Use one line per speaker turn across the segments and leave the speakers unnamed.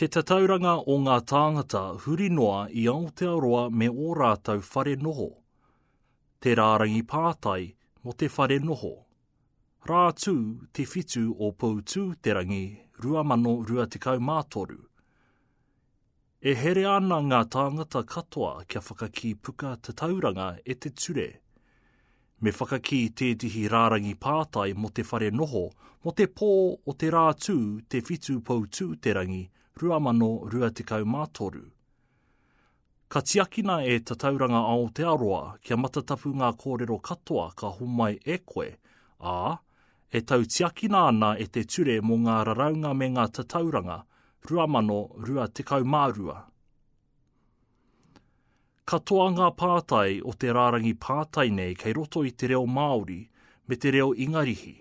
Te tatauranga o ngā tāngata huri noa i Aotearoa me ō rātou whare noho. Te rārangi pātai mō te whare noho. Rā tū te 7 o Poutū-te-rangi 2023. E herea ana ngā tāngata katoa kia whakakī puka tatauranga e te ture. Me whakakī tētehi rārangi pātai mō te whare noho mō te pō o te rā tū te 7 Poutū-te-rangi 2023. Ka tiakina e Tatauranga Aotearoa kia matatapu ngā kōrero katoa ka homai e koe, ā, e tautiakina ana e te Ture mō ngā Raraunga me ngā Tatauranga 2022. Katoa ngā pātai o te rārangi pātai nei kei roto i te reo Māori me te reo Ingarihi.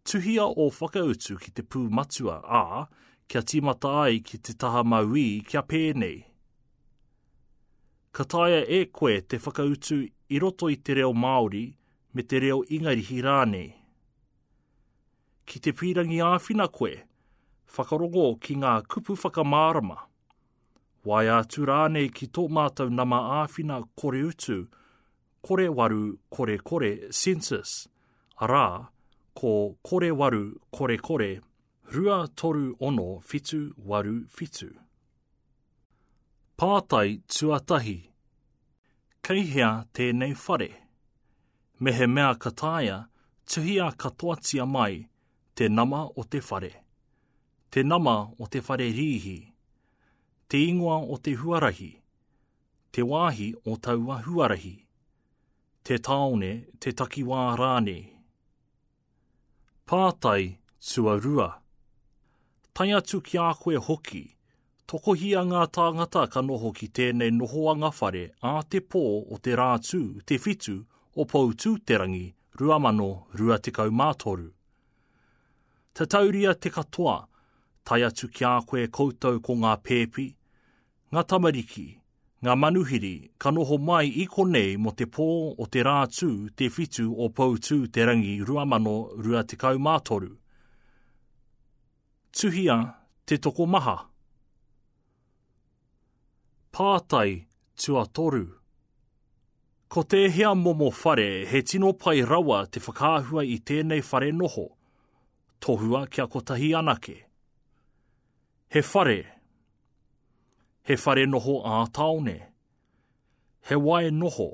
Tuhia ō whakautu ki te pū matua, ā, kia tīmata ai ki te taha mauī kia pēnei. Ka taea e koe te whakautu i roto i te reo Māori me te reo Ingarihi rānei. Ki te pīrangi āwhina koe, whakarongo ki ngā kupu whakamārama. Waea atu rānei ki tō mātou nama āwhina koreutu 0800 Census, arā, ko 0800 236 787. Pātai tuatahi, Kei hea tēnei whare? Mehemea ka taea, tuhia katoatia mai te nama o te whare, te nama o te whare rīhi, te ingoa o te huarahi, te wāhi o taua huarahi, te tāone, te takiwā rānei. Pātai tuarua. Tae atu ki a koe hoki, tokohia ngā tāngata ka noho ki tēnei nohoanga whare ā te pō o te Rātū te 7 o Poutūterangi 2023. Tatauria te katoa, tae atu ki a koe koutou ko ngā pēpi, Ngā tamariki, ngā manuhiri ka noho mai i konei mō te pō o te rā tū te 7 o Poutū-te-rangi 2023. Tuhia te tokomaha. Pātai tuatoru. Ko tēhea momo whare he tino pai rawa te whakaahua i tēnei whare noho? Tohua kia kotahi anake. He whare. He whare noho ā-tāone. He wae noho.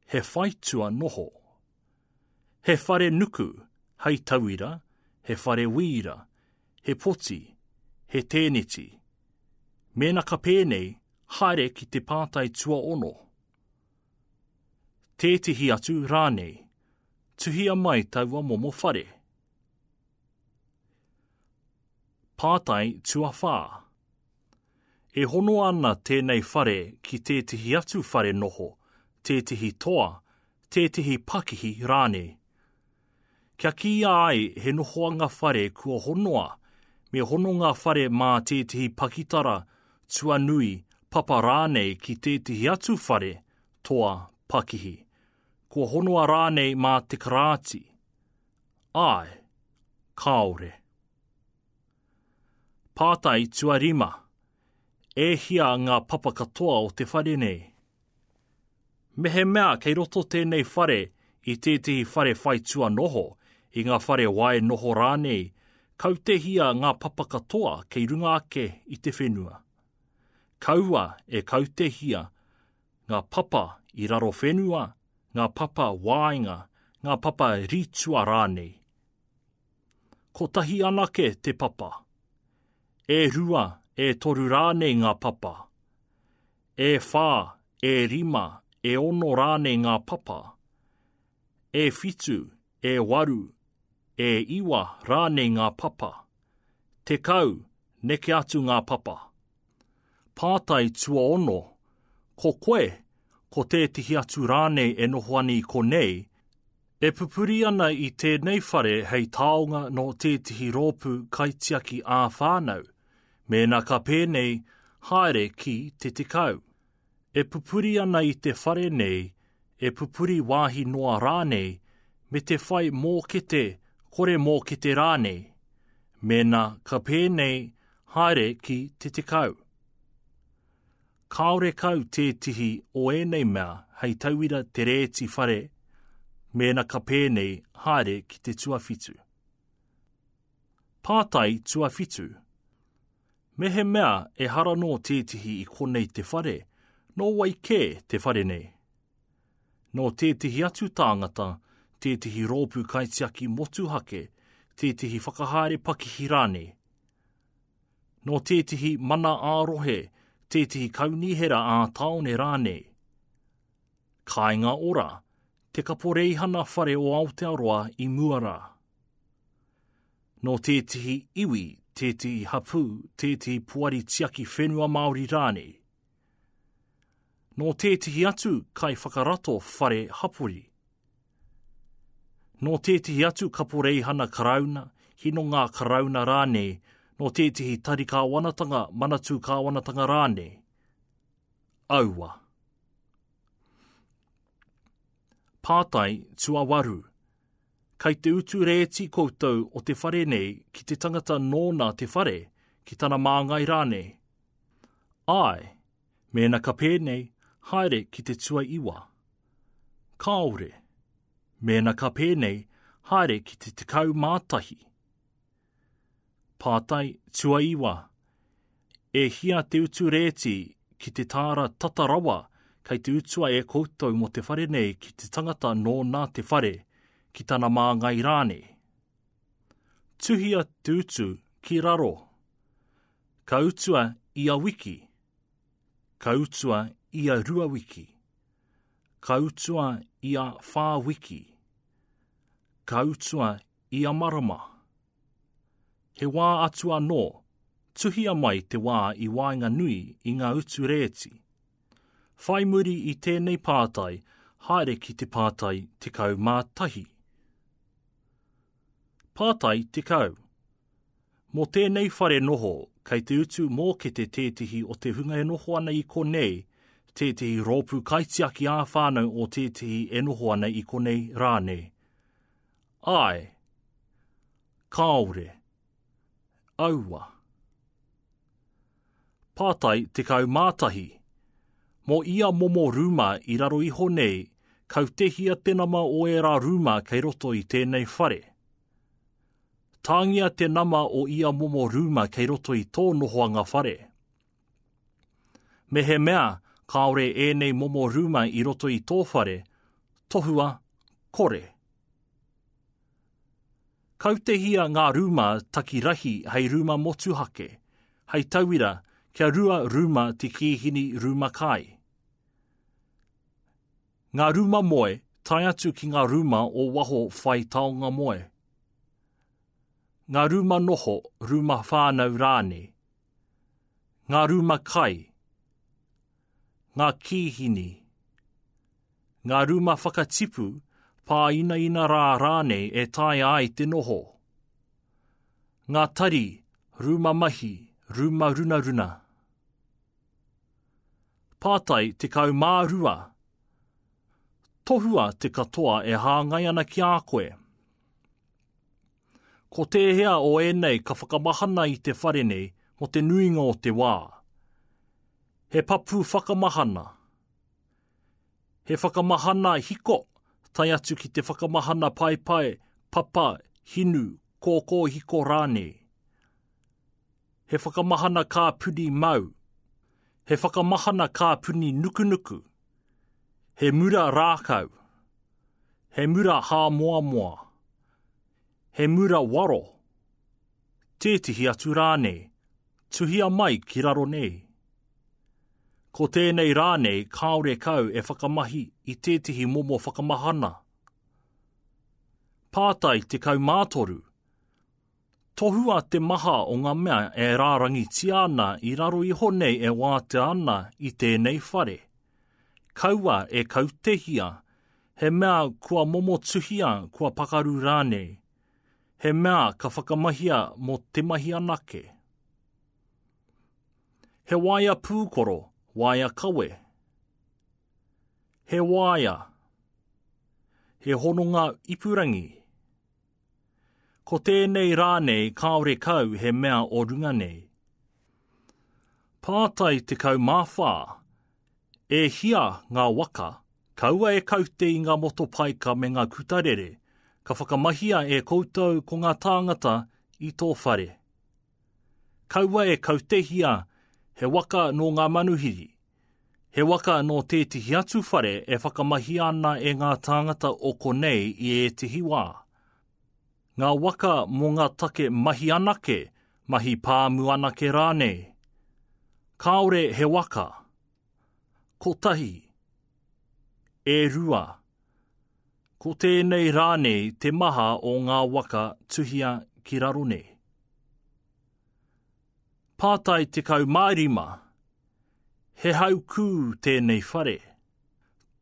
He whaitua noho. He whare nuku, hei tauira, he whare wīra, he poti, he tēneti. Mēnā ka pēnei, haere ki te pātai tuaono. Tētehi atu rānei. Tuhia mai taua momo whare. Pātai tuawhā. E hono ana tēnei whare ki tētehi atu whare noho, tētehi toa, tētehi pakihi rānei. Kia kīia ai he nohoanga whare kua honoa, me hono ngā whare mā tētehi pakitara, tuanui, papa rānei ki tētehi atu whare, toa, pakihi. Kua honoa rānei mā te karāti. Āe. Kāore. Pātai tuarima. E hia ngā papa katoa o te whare nei? Mehemea kei roto tēnei whare i tētehi whare whaitua noho, i ngā whare wae noho rānei, kautehia ngā papa katoa kei runga ake i te whenua. Kaua e kautehia ngā papa i raro whenua, ngā papa waenga, ngā papa rītua rānei. Kotahi anake te papa. E rua, e toru rānei ngā papa. E whā, e rima, e ono rānei ngā papa. E whitu, e waru, e iwa rānei ngā papa. 10, neke atu ngā papa. Pātai tuaono, Ko koe, ko tētehi atu rānei e noho ana i konei, e pupuri ana i tēnei whare hei taonga nō tētehi rōpū kaitiaki ā-whānau, mēnā ka pēnei, haere ki te 10. E pupuri ana i te whare nei, e pupuri wāhi noa rānei, me te whai mōkete, kore mōkete rānei. Mēnā ka pēnei, Haere ki te 10. Kāore kau tētihi o ēnei mea hei tauira te rēti whare mēnā ka pēnei haere ki te tuawhitu. Pātai tuawhitu. Mehemea ehara nō tētihi i konei te whare, nō wai kē te whare nei? Nō tētihi atu tāngata, tētihi rōpū kaitiaki motuhake, tētihi whakahaere pakihi rānei? Nō tētihi mana ā-rohe, tētihi kaunihera ā-tāone rānei? Kāinga Ora, te kaporeihana whare o Aotearoa i mua rā. Nō tētihi iwi, tētihi hapū, tētihi poari tiaki whenua Māori rānei? Nō tētihi atu kaiwhakarato whare hapori? Nō tētihi atu kaporeihana Karauna, hinonga Karauna rānei, nō tētihi tari kāwanatanga, manatū kāwanatanga rānei? Aua. Pātai tuawaru. Kei te utu rēti koutou o te whare nei ki te tangata nōna te whare, ki tana māngai rānei? Āe, mēnā ka pēnei, haere ki te tuaiwa. Kāore. Mēnā ka pēnei, haere ki te 11. Pātai tuaiwa. E hia te utu rēti ki te tāra tata rawa kei te utua e koutou mō te whare nei ki te tangata nōna te whare, ki tana māngai rānei? Tuhia te utu ki raro. Ka utua ia wiki. Ka utua ia rua wiki. Ka utua ia whā wiki. Ka utua ia marama. He wā atu anō, tuhia mai te wā i waenganui i ngā utu rēti. Whai muri i tēnei pātai, haere ki te pātai 11. Pātai 10. Mō tēnei whare noho, kei te utu mōkete tētehi o te hunga e noho ana i konei, tētehi rōpū kaitiaki ā-whānau o tētehi e noho ana i konei rānei. Āe. Kāore. Aua. Pātai 11. Mō ia momo rūma i raro iho nei, kautehia te nama o ērā rūma kei roto i tēnei whare. Tāngia te nama o ia momo rūma kei roto i tō nohoanga whare. Mehemea kāore ēnei momo rūma i roto i tō whare, tohua kore. Kautehia ngā rūma taki rahi hei rūma motuhake, hei tauira, kia rua rūma te kīhini rūma kai. Ngā rūma moe, tae atu ki ngā rūma o waho whai taonga moe. Ngā rūma noho, rūma whānau rānei. Ngā rūma kai. Ngā kīhini. Ngā rūma whakatipu, pāinaina rā rānei e taea ai te noho. Ngā tari, rūma mahi, rūma runaruna. Pātai 12. Tohua te katoa e hāngai ana ki a koe. Ko tēhea o ēnei ka whakamahana i te whare nei mō te nuinga o te wā? He papu whakamahana. He whakamahana hiko, tae atu ki te whakamahana paepae, papa, hinu, kōkōhiko rānei. He whakamahana kāpuni mau. He whakamahana kāpuni nukunuku. He mura rākau. He mura hāmoamoa. He mura waro. Tētehi atu rānei. Tuhia mai ki raro nei. Ko tēnei rānei kāore kau e whakamahi i tētehi momo whakamahana. Pātai 13. Tohua te maha o ngā mea e rārangitia ana i raro iho nei e wātea ana i tēnei whare. Kaua e kautehia, he mea kua momotuhia, kua pakaru rānei. He mea ka whakamahia mō te mahi anake. He waea pūkoro, waea kawe. He waea. He hononga ipurangi. Ko tēnei rānei kāore kau he mea o runga nei. Pātai 14. E hia ngā waka, kaua e kaute i ngā motopaika me ngā kutarere, ka whakamahia e koutou ko ngā tāngata i tō whare? Kaua e kautehia he waka nō ngā manuhiri, he waka nō tētehi atu whare e whakamahia ana e ngā tāngata o konei i ētehi wā. Ngā waka mō ngā take mahi anake, mahi pāmu anake rānei. Kāore he waka. Kotahi. E rua. Ko tēnei rānei te maha o ngā waka tuhia ki raro nei. Pātai 15. He haukū tēnei whare.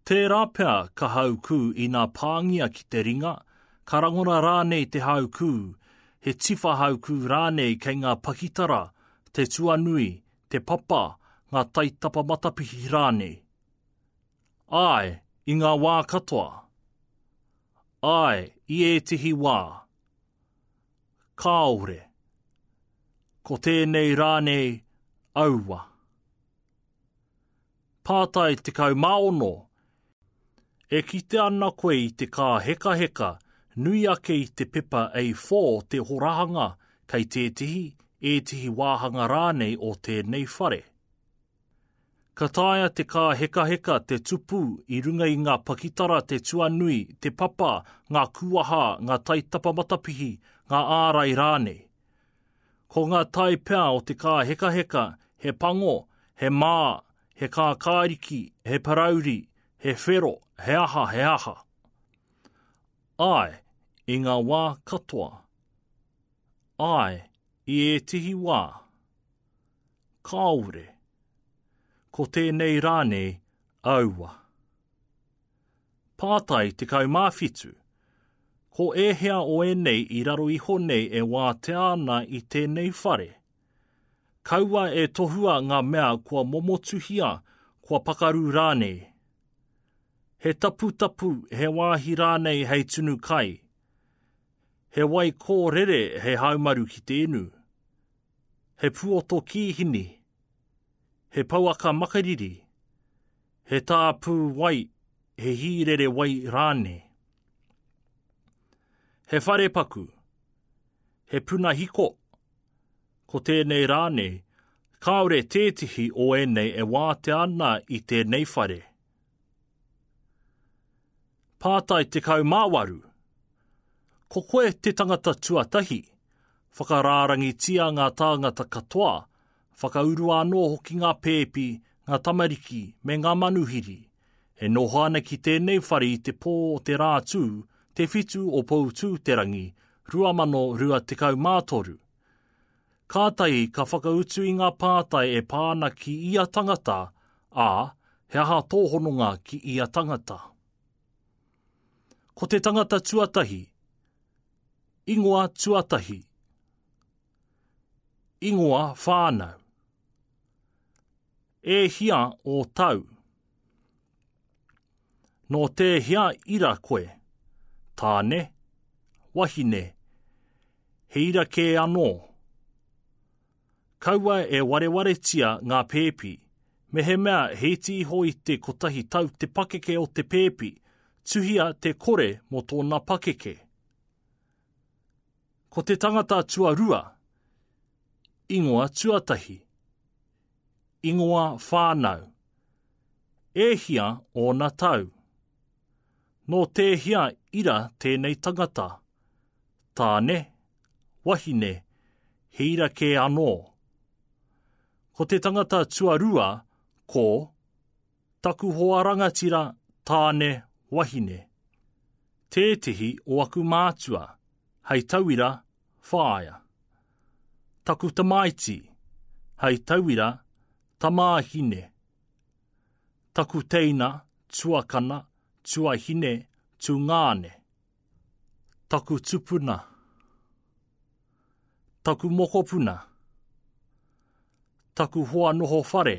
Tērā pea ka haukū inā pāngia ki te ringa, ka rangona rānei te haukū, he tiwha haukū rānei kei ngā pakitara, te tuanui, te papa, ngā taitapa matapihi rānei. Āe, i ngā wā katoa. Āe, i ētehi wā. Kāore. Ko tēnei rānei, aua. Pātai 16. E kite ana koe i te kāhekaheka nui ake i te pepa A4 te horahanga kei tētehi, ētehi wāhanga rānei o tēnei whare. Ka taea te kāhekaheka te tupu i runga i ngā pakitara te tuanui, te papa, ngā kūaha, ngā taitapa matapihi, ngā ārai rānei. Ko ngā tae pea o te kāhekaheka he pango, he mā, he kākāriki, he parauri, he whero, he aha, he aha. Āe, i ngā wā katoa. Āe, i ētehi wā. Kāore. Ko tēnei rānei, aua. Pātai 17. Ko ēhea o ēnei i raro iho nei e wātea ana i tēnei whare? Kaua e tohua ngā mea kua momotuhia, kua pakaru rānei. He taputapu, he wāhi rānei hei tunu kai. He wai kōrere hei haumaru ki te inu. He puoto kīhini. He pouaka makariri. He tāpū wai, he hīrere wai rānei. He wharepaku, he puna hiko, ko tēnei rānei, kāore tētehi o ēnei e wātea ana i tēnei whare. Pātai 18. Ko koe te tangata tuatahi, whakarārangitia ngā tāngata katoa Whakaurua anō hoki ngā pēpi, ngā tamariki, me ngā manuhiri. E noho ana ki tēnei whare i te pō o te Rātū, te 7 o Poutū-te-rangi, 2023. Kātahi ka whakautu i ngā pātai e pā ana ki ia tangata, ā, he aha tō hononga ki ia tangata. Ko te tangata tuatahi, Ingoa tuatahi. Ingoa whānau. E hia ō tau? Nō tēhea ira koe? Tāne, wahine, he ira kē anō. Kaua e warewaretia ngā pēpi. Mehemea he iti iho i te kotahi tau te pakeke o te pēpi, tuhia te kore mō tōna pakeke. Ko te tangata tuarua, ingoa tuatahi, ingoa whānau, e hia ōna tau? Nō tēhea ira tēnei tangata? Tāne, wahine, he ira kē anō. Ko te tangata tuarua, ko Taku hoa rangatira, tāne, wahine. Tētehi o aku mātua, hei tauira, whāia. Taku tamaiti, hei tauira, tamāhine. Taku teina, tuakana, tuahine, tungāne. Taku tupuna. Taku mokopuna. Taku hoa noho whare.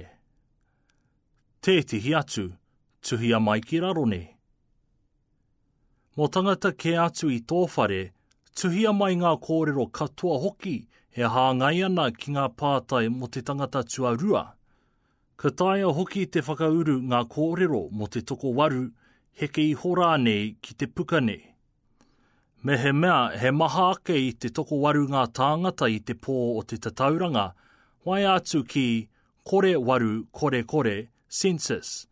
Tētehi atu, tuhia mai ki raro nei. Mō tangata kē atu i tō whare, Tuhia mai ngā kōrero katoa hoki e hāngai ana ki ngā pātai mō te tangata tuarua. Ka taea hoki te whakauru ngā kōrero mō te tokowaru, heke iho rānei ki te puka nei. Mehemea he maha ake i te tokowaru ngā tāngata i te pō o te tatauranga, waea atu ki kore waru kore kore census,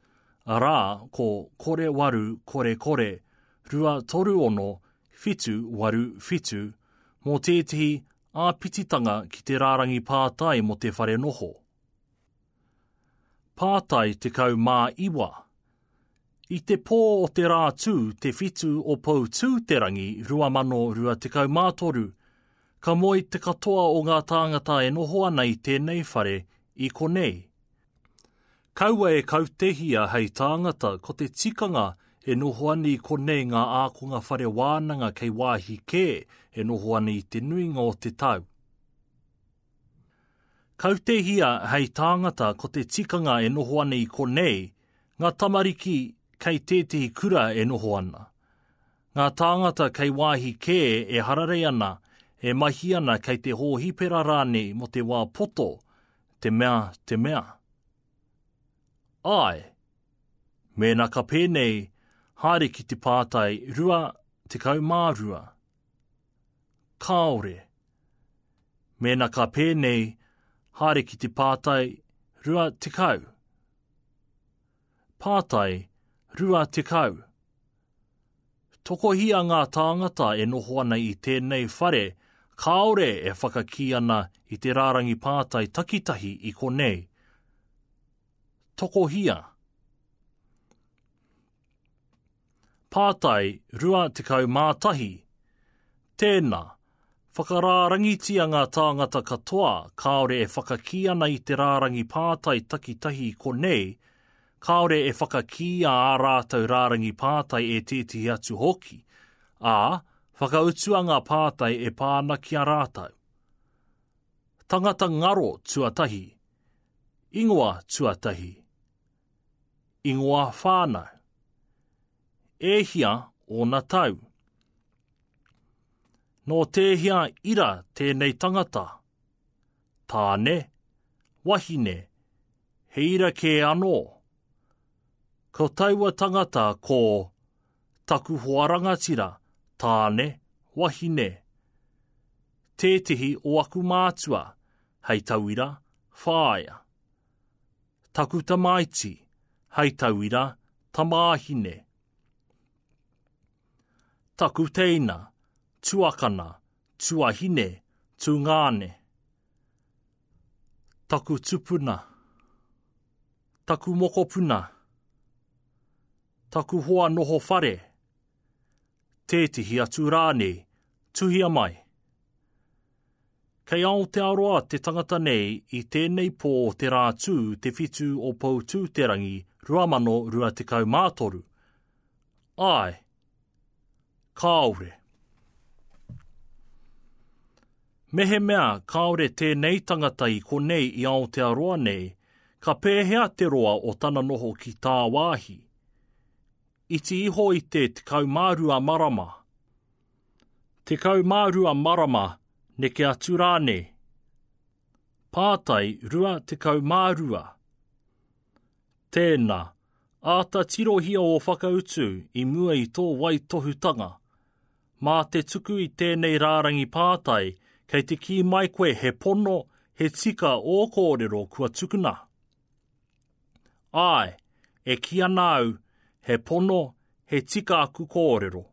arā ko kore waru kore kore 236 787 mō tētehi āpititanga ki te rārangi pātai mō te whare noho. Pātai 19. I te pō o te Rātū te 7 o Poutū-te-rangi 2023, ka moe te katoa o ngā tāngata e noho ana i tēnei whare i konei. Kaua e kautehia hei tāngata ko te tikanga e noho ana i konei ngā ākonga whare wānanga kei wāhi kē e noho ana i te nuinga o te tau. Kautehia hei tāngata ko te tikanga e noho ana i konei, ngā tamariki kei tētehi kura e noho ana. Ngā tāngata kei wāhi kē e hararei ana, e mahi ana kei te hōhipera rānei mō te wā poto, te mea, te mea. Āe. Mēnā ka pēnei, haere ki te pātai 22. Kāore. Mēnā ka pēnei, haere ki te pātai 20. Pātai 20. Tokohia ngā tāngata e noho ana i tēnei whare kāore e whakakī ana i te rārangi pātai takitahi i konei. Tokohia. Pātai 21. Tēnā, whakarārangitia ngā tāngata katoa kāore e whakakī ana i te rārangi pātai takitahi i konei, kāore e whakakīia ā rātou rārangi pātai e tētehi atu hoki, ā, whakautua ngā pātai e pā ana ki a rātou. Tangata ngaro tuatahi. Ingoa tuatahi. Ingoa whānau. E hia ōna tau? Nō tēhea ira tēnei tangata? Tāne, wahine, he ira kē anō. Ko taua tangata ko taku hoa rangatira, tāne, wahine. Tētehi o aku mātua, hei tauira, whāea. Taku tamaiti, hei tauira, tamāhine. Taku teina, tuakana, tuahine, tungāne. Taku tupuna. Taku mokopuna. Taku hoa noho whare. Tētehi atu rānei, tuhia mai. Kei Aotearoa te tangata nei i tēnei pō o te Rātū te 7 o Poutūterangi 2023. Āe. Kāore. Mehemea kāore tēnei tangata i konei i Aotearoa nei, ka pēhea te roa o tana noho ki tāwāhi? Iti iho i te 12 marama. 12 marama, neke atu rānei. Pātai 22. Tēnā, āta tirohia ō whakautu i mua i tō waitohutanga. Mā te tuku i tēnei rārangi pātai, kei te kī mai koe he pono, he tika ō kōrero kua tukuna. Āe, e kī ana au, he pono, he tika aku kōrero.